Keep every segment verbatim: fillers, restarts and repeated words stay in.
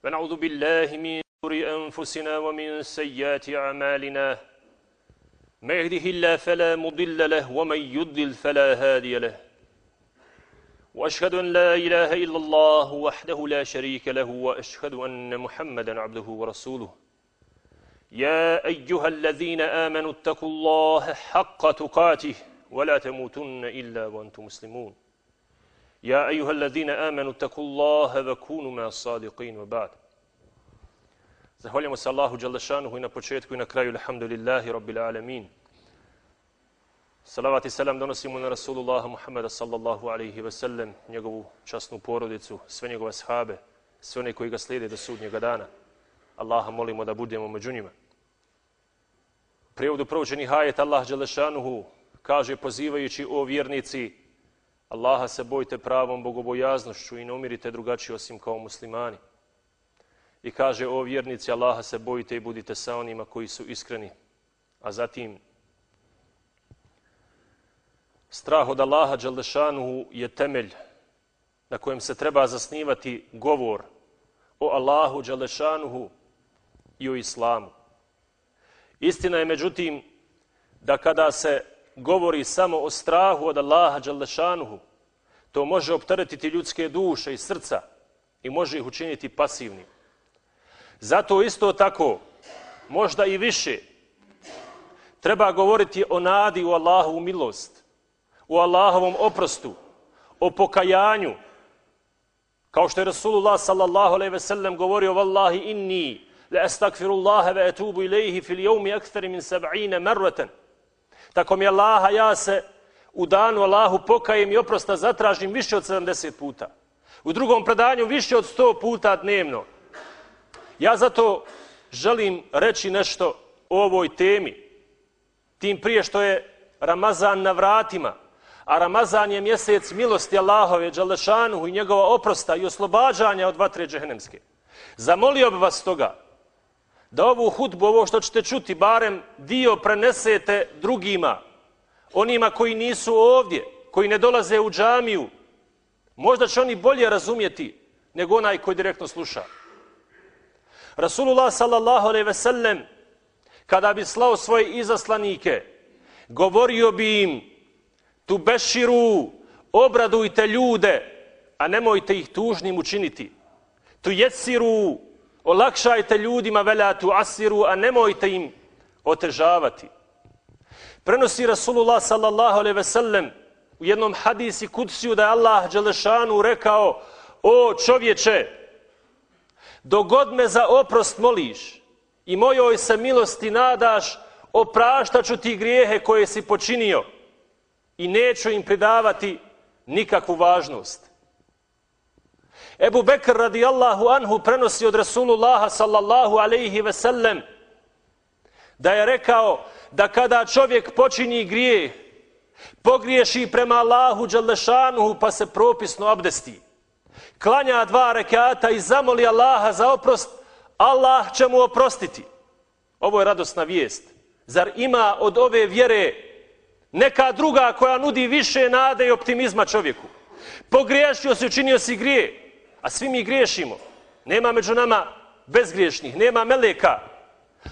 ونعوذ بالله من شرور أنفسنا ومن سيئات أعمالنا ما يهده الله فلا مضل له ومن يضلل فلا هادي له وأشهد أن لا إله إلا الله وحده لا شريك له وأشهد أن محمدا عبده ورسوله يا أيها الذين آمنوا اتقوا الله حق تقاته ولا تموتن إلا وأنتم مسلمون يا أيها الذين آمنوا اتقوا الله وكونوا مع الصادقين وبعد. Zahvaljujemo se Allahu dželle šanuhu i na početku i na kraju, alhamdulillahi rabbil alamin. Salavat i selam donosimo na Rasulullaha Muhammeda sallallahu alaihi ve sellem, njegovu časnu porodicu, sve njegove ashabe, sve one koji ga slijede do sudnjega dana. Allaha molimo da budemo među njima. U prijevodu proučenih ajet Allah dželle šanuhu kaže pozivajući o vjernici: Allaha se bojte pravom bogobojaznošću i ne umirite drugačije osim kao muslimani. I kaže: o vjernici, Allaha se bojite i budite sa onima koji su iskreni. A zatim, strah od Allaha dželle šanuhu je temelj na kojem se treba zasnivati govor o Allahu dželle šanuhu i o islamu. Istina je međutim da kada se govori samo o strahu od Allaha dželle šanuhu, to može opteretiti ljudske duše i srca i može ih učiniti pasivnim. Zato isto tako, možda i više, treba govoriti o nadi u Allahovu milost, u Allahovom oprostu, o pokajanju. Kao što je Rasulullah sallallahu alejhi ve sellem govorio: Wallahi inni la astakfirullaha wa atubu ilayhi fil yawmi akthar min sab'ina marratan. Tako mi Allaha, ja se u danu Allahu pokajem i oprosta zatražim više od sedamdeset puta. U drugom predanju više od sto puta dnevno. Ja zato želim reći nešto o ovoj temi, tim prije što je Ramazan na vratima, a Ramazan je mjesec milosti Allahove dželle šanuhu i njegova oprosta i oslobađanja od vatre džehennemske. Zamolio bih vas toga da ovu hudbu, ovo što ćete čuti, barem dio prenesete drugima, onima koji nisu ovdje, koji ne dolaze u džamiju. Možda će oni bolje razumjeti nego onaj koji direktno sluša. Rasulullah sallallahu alejhi ve sellem, kada bi slao svoje izaslanike, govorio bi im: tu beširu, obradujte ljude, a nemojte ih tužnim učiniti. Tu jesiru, olakšajte ljudima, vela tu asiru, a nemojte im otežavati. Prenosi Rasulullah sallallahu alejhi ve sellem u jednom hadisi kudsiju da je Allah dželle šanuhu rekao: o čovječe, dok god me za oprost moliš i mojoj se milosti nadaš, opraštat ću ti grijehe koje si počinio i neću im pridavati nikakvu važnost. Ebu Bekr radijallahu anhu prenosi od Rasulullaha sallallahu alejhi ve sellem da je rekao da kada čovjek počini grijeh, pogriješi prema Allahu dželle šanuhu pa se propisno abdesti, klanja dva rekata i zamoli Allaha za oprost, Allah će mu oprostiti. Ovo je radosna vijest. Zar ima od ove vjere neka druga koja nudi više nade i optimizma čovjeku? Pogriješio si, učinio si grije, a svi mi griješimo. Nema među nama bezgriješnih, nema meleka.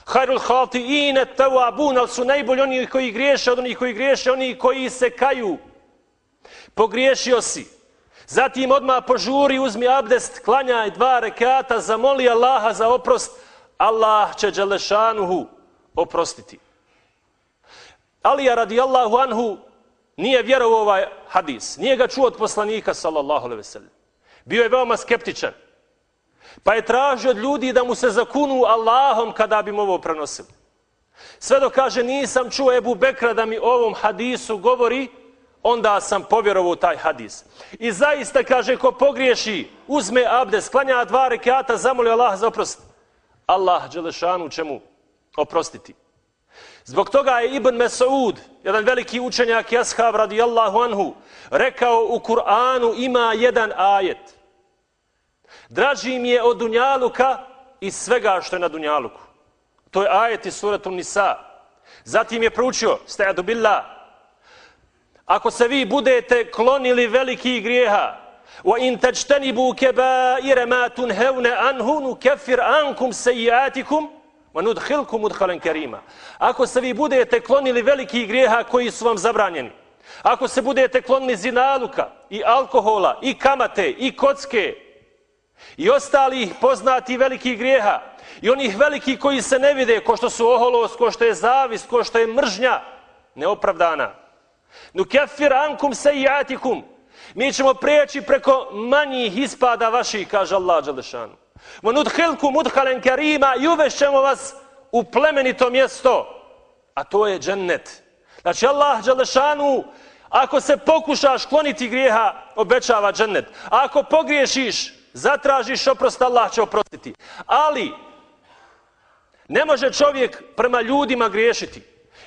Hayrul hati'ine tawabun, ali su najbolji oni koji griješe od onih koji griješe, oni koji se kaju. Pogriješio si, zatim odmah požuri, uzmi abdest, klanjaj dva rekata, zamoli Allaha za oprost, Allah će dželle šanuhu oprostiti. Alija radijallahu anhu nije vjerovao ovaj hadis, nije ga čuo od poslanika sallallahu alejhi ve sellem. Bio je veoma skeptičan, pa je tražio od ljudi da mu se zakunu Allahom kada bi mu ovo prenosili. Sve dok kaže: nisam čuo Ebu Bekra da mi o ovom hadisu govori, onda sam povjerovao u taj hadis. I zaista, kaže, ko pogriješi, uzme abdest, klanja dva rekata, zamoli Allah za oprost, Allah dželle šanuhu će mu oprostiti. Zbog toga je Ibn Mes'ud, jedan veliki učenjak i ashab radijallahu anhu, rekao: u Kur'anu ima jedan ajet: draži mi je od dunjaluka i svega što je na dunjaluku. To je ajet iz suratu Nisa. Zatim je proučio: sta'adu billah, ako se vi budete klonili velikih grijeha وَإِن تَجْتَنِبُوا كَبَائِرَ مَا تُنْهَوْنَ عَنْهُ نُكَفِّرْ عَنْكُمْ سَيِّئَاتِكُمْ وَنُدْخِلْكُمْ مُدْخَلًا كَرِيمًا. Ako se vi budete klonili velikih grijeha koji su vam zabranjeni, ako se budete klonili zinaluka i alkohola i kamate i kocke i ostalih poznatih velikih grijeha i onih velikih koji se ne vide, ko što su oholost, ko što je zavist, ko što je mržnja neopravdana. Nukeffir ankum sejiatikum. Mi ćemo prijeći preko manjih ispada vaših, kaže Allah dželešanu. Vanudhilkum mudhalen kerima, i uvešćemo vas u plemenito mjesto, a to je džennet. Znači Allah dželešanu, ako se pokušaš kloniti grijeha, obećava džennet. A ako pogriješiš, zatražiš oprost, Allah će oprostiti. Ali ne može čovjek prema ljudima griješiti,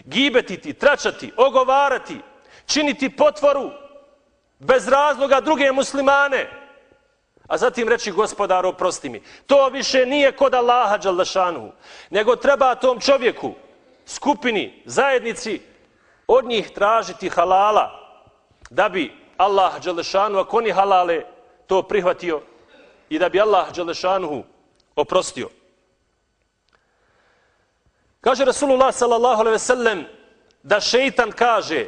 gibetiti, tračati, ogovarati, činiti potvoru bez razloga druge muslimane, a zatim reći gospodar oprosti mi. To više nije kod Allaha dželešanu, nego treba tom čovjeku, skupini, zajednici od njih tražiti halala, da bi Allah dželešanu, ako oni halale, to prihvatio i da bi Allah dželešanu oprostio. Kaže Rasulullah sallallahu alejhi ve sellem da šeitan kaže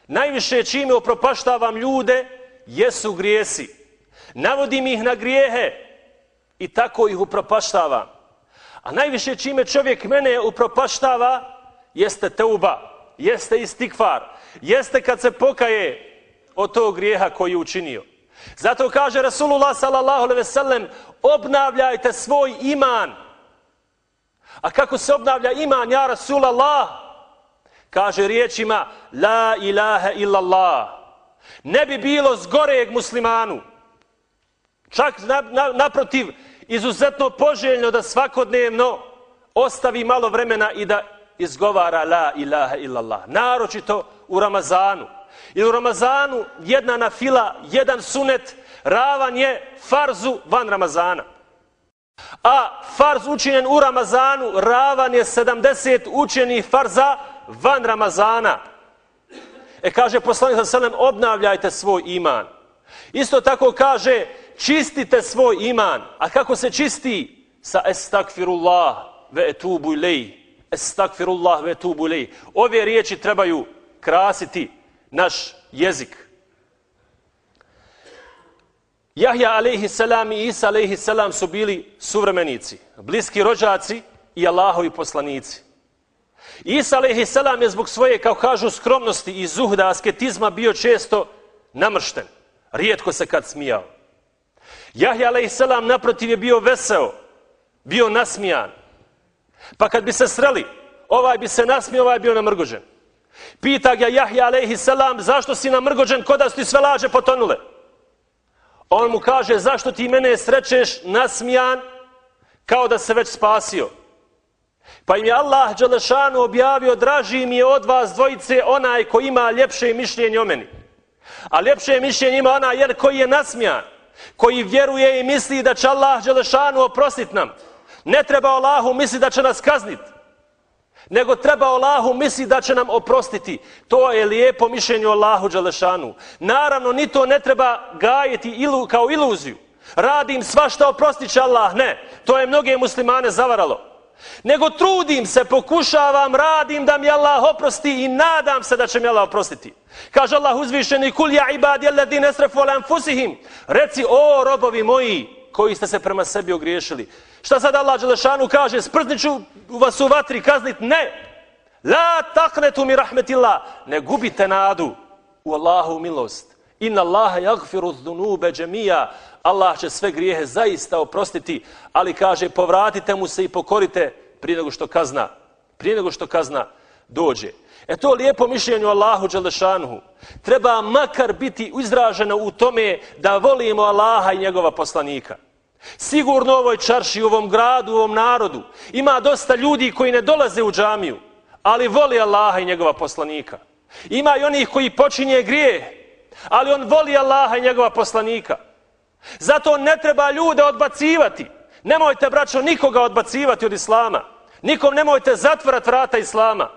najviše čime upropaštavam ljude jesu grijesi. Navodim ih na grijehe i tako ih upropaštavam. A najviše čime čovjek mene upropaštava jeste teuba, jeste istikfar, jeste kad se pokaje od tog grijeha koji je učinio. Zato kaže Rasulullah sallallahu alejhi ve sellem obnavljajte svoj iman. A kako se obnavlja iman, ja Rasulallah? Kaže riječima la ilaha illallah. Ne bi bilo zgoreg muslimanu. Čak na, na, naprotiv, izuzetno poželjno da svakodnevno ostavi malo vremena i da izgovara la ilaha illallah. Naročito u Ramazanu. I u Ramazanu jedna nafila, jedan sunet ravan je farzu van Ramazana. A farz učinjen u Ramazanu ravan je sedamdeset učenih farza van Ramazana. E kaže poslanik sallallahu alejhi ve sellem obnavljajte svoj iman. Isto tako kaže čistite svoj iman. A kako se čisti? Sa estakfirullah ve etubu ilej. Estakfirullah ve etubu ilej. Ove riječi trebaju krasiti naš jezik. Jahja alejhi selam i Isa alejhi selam su bili suvremenici, bliski rođaci i Allahovi poslanici. Isa alejhi selam je zbog svoje, kao kažu, skromnosti i zuhda, asketizma bio često namršten. Rijetko se kad smijao. Jahja alejhi selam naprotiv je bio veseo, bio nasmijan. Pa kad bi se sreli, ovaj bi se nasmio, ovaj bio namrgođen. Pita ga Jahja alejhi selam zašto si namrgođen, ko da su ti sve laže potonule. On mu kaže zašto ti mene srećeš nasmijan kao da se već spasio. Pa im je Allah dželešanu objavio draži mi je od vas dvojice onaj koji ima ljepše mišljenje o meni. A ljepše mišljenje ima onaj jer koji je nasmijan, koji vjeruje i misli da će Allah dželešanu oprostiti nam. Ne treba Allahu misli da će nas kazniti, nego treba Allahu misli da će nam oprostiti. To je lijepo mišljenje o Allahu dželešanu. Naravno, ni to ne treba gajiti ilu, kao iluziju. Radim svašta, oprostit će Allah. Ne, to je mnoge muslimane zavaralo. Nego trudim se, pokušavam, radim da mi Allah oprosti i nadam se da će mi Allah oprostiti. Kaže Allah uzvišeni kul ja ibadi alladine esrafu ala anfusihim. Reci o robovi moji koji ste se prema sebi ogriješili. Šta sad Allah dželešanu kaže? Sprzniću vas u vatri kaznit? Ne. La taqnetu mi rahmetillah. Ne gubite nadu u Allahu milost. Inna Allaha yaghfiru dhunube džemija. Allah će sve grijehe zaista oprostiti, ali kaže povratite mu se i pokorite prije nego što kazna, prije nego što kazna dođe. E to lijepo mišljenje o Allahu dželešanuhu treba makar biti izraženo u tome da volimo Allaha i njegova poslanika. Sigurno u ovoj čarši, u ovom gradu, u ovom narodu ima dosta ljudi koji ne dolaze u džamiju, ali voli Allaha i njegova poslanika. Ima i onih koji počinje grijeh, ali on voli Allaha i njegova poslanika. Zato ne treba ljude odbacivati. Nemojte, braćo, nikoga odbacivati od islama. Nikom nemojte zatvarati vrata islama.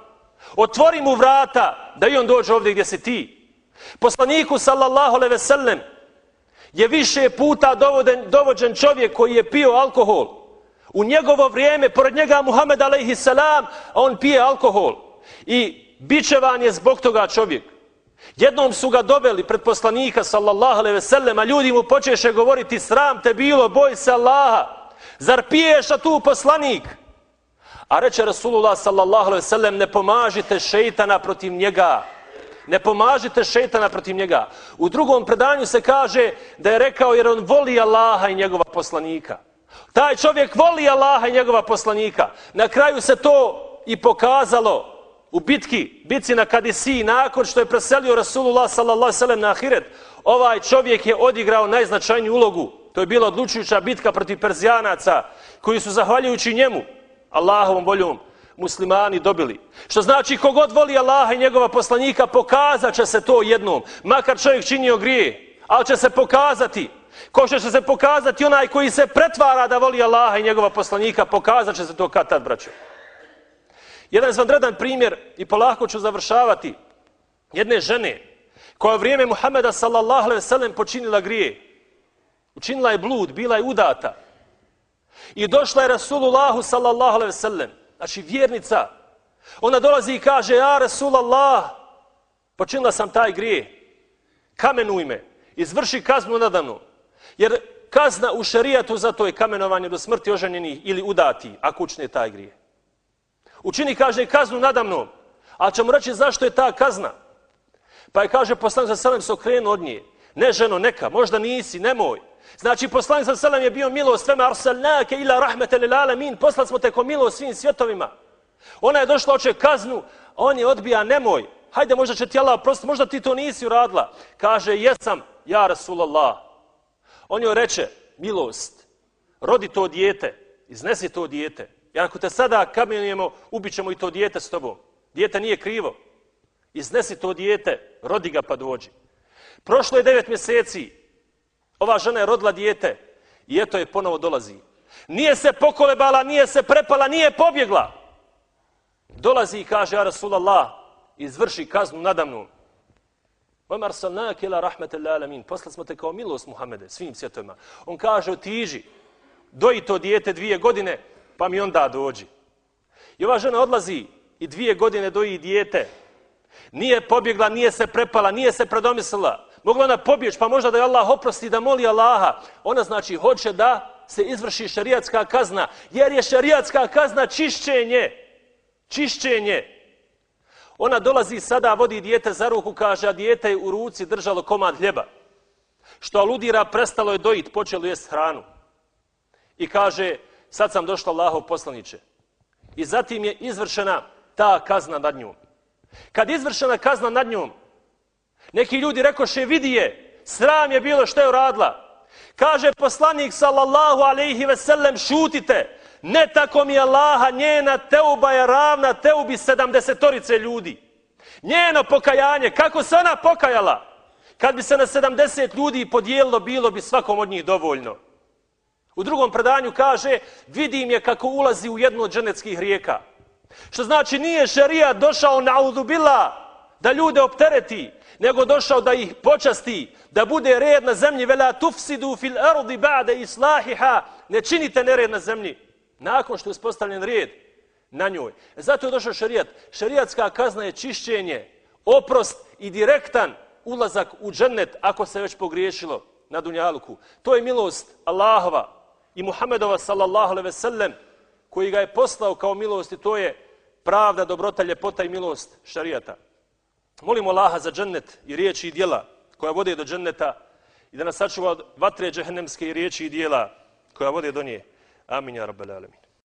Otvori mu vrata da i on dođe ovdje gdje si ti. Poslaniku sallallahu alejhi ve sellem je više puta dovoden, dovođen čovjek koji je pio alkohol. U njegovo vrijeme, pored njega Muhammed alejhi selam, on pije alkohol. I bičevan je zbog toga čovjek. Jednom su ga doveli pred poslanika sallallahu alejhi ve sellem, a ljudi mu počeše govoriti sram te bilo, boj se Allaha. Zar piješ, a tu poslanik? A reče Rasulullah sallallahu alejhi ve sellem, ne pomažite šejtana protiv njega. Ne pomažite šejtana protiv njega. U drugom predanju se kaže da je rekao jer on voli Allaha i njegova poslanika. Taj čovjek voli Allaha i njegova poslanika. Na kraju se to i pokazalo u bitki, bitci na Kadisiji, nakon što je preselio Rasulullah sallallahu alejhi ve sellem na ahiret. Ovaj čovjek je odigrao najznačajniju ulogu. To je bila odlučujuća bitka protiv Perzijanaca, koji su zahvaljujući njemu, Allahovom voljom, muslimani dobili. Što znači kogod voli Allaha i njegova poslanika, pokazat će se to jednom. Makar čovjek činio grije, ali će se pokazati. Ko što će se pokazati onaj koji se pretvara da voli Allaha i njegova poslanika, pokazat će se to kad tad, braćo. Jedan izvanredan primjer, i polako ću završavati, jedne žene koja u vrijeme Muhameda sallallahu alejhi ve sellem počinila grije. Učinila je blud, bila je udata. I došla je Rasulullahu sallallahu alejhi ve sellem, znači vjernica. Ona dolazi i kaže, ja Rasulallah, počinila sam taj grije. Kamenuj me, izvrši kaznu nadamnom. Jer kazna u šerijatu za to je kamenovanje do smrti oženjenih ili udati, ako učine taj grije. Učini, kaže, kaznu nadamnom. Ali ćemo reći zašto je ta kazna. Pa je, kaže, poslanik sallallahu alejhi ve sellem se okrenuo od nje. Ne ženo, neka, možda nisi, nemoj. Znači, poslanik sallallahu alejhi ve sellem je bio milost, fema arsalnake ila rahmeten lil alamin, poslali smo te ko milost svim svjetovima. Ona je došla, hoće kaznu, a on je odbija, nemoj. Hajde, možda će ti Allah oprostiti, možda ti to nisi uradila. Kaže, jesam, ja Rasulallah. On joj reče, milost, rodi to dijete, iznesi to dijete. Jer ako te sada kamenujemo, ubit ćemo i to dijete s tobom. Dijete nije krivo. Iznesi to dijete, rodi ga pa dođi. Prošlo je devet mjeseci. Ova žena je rodila dijete i eto je ponovo dolazi. Nije se pokolebala, nije se prepala, nije pobjegla. Dolazi i kaže, ja Rasulallah, izvrši kaznu nadamnom. Vama arsalnake ila rahmetel alamin. Poslali smo te kao milost Muhammede, svim svjetovima. On kaže, otiđi, doji to dijete dvije godine, pa mi onda dođi. I ova žena odlazi i dvije godine doji dijete. Nije pobjegla, nije se prepala, nije se predomislila. Mogla ona pobjeći, pa možda da je Allah oprosti, da moli Allaha. Ona znači hoće da se izvrši šerijatska kazna, jer je šerijatska kazna čišćenje. Čišćenje. Ona dolazi sada, vodi dijete za ruku, kaže, a dijete je u ruci držalo komad hljeba. Što aludira, prestalo je dojit, počelo jest hranu. I kaže, sad sam došla Allahov poslaniče. I zatim je izvršena ta kazna nad njom. Kad je izvršena kazna nad njom, neki ljudi rekoše, vidi je, sram je bilo što je uradila. Kaže poslanik sallallahu alejhi ve sellem, šutite, ne tako mi Allaha, njena teuba je ravna teubi sedamdesetorice ljudi. Njeno pokajanje, kako se ona pokajala? Kad bi se na sedamdeset ljudi podijelilo, bilo bi svakom od njih dovoljno. U drugom predanju kaže, vidim je kako ulazi u jednu od dženetskih rijeka. Što znači nije šerijat došao na'udhu billah da ljude optereti, nego došao da ih počasti, da bude red na zemlji. Vela tufsidu fil ardi ba'de islahiha. Ne činite nered na zemlji nakon što je uspostavljen red na njoj. Zato je došao šerijat. Šerijatska kazna je čišćenje, oprost i direktan ulazak u džennet ako se već pogriješilo na dunjaluku. To je milost Allahova i Muhammedova sallallahu alejhi ve sellem koji ga je poslao kao milost i to je pravda, dobrota, ljepota i milost šerijata. Molimo Allaha za džennet i riječi i djela koja vode do dženneta i da nas sačuva od vatre džehennemske i riječi i djela koja vode do nje. Amin ja rabbal alamin.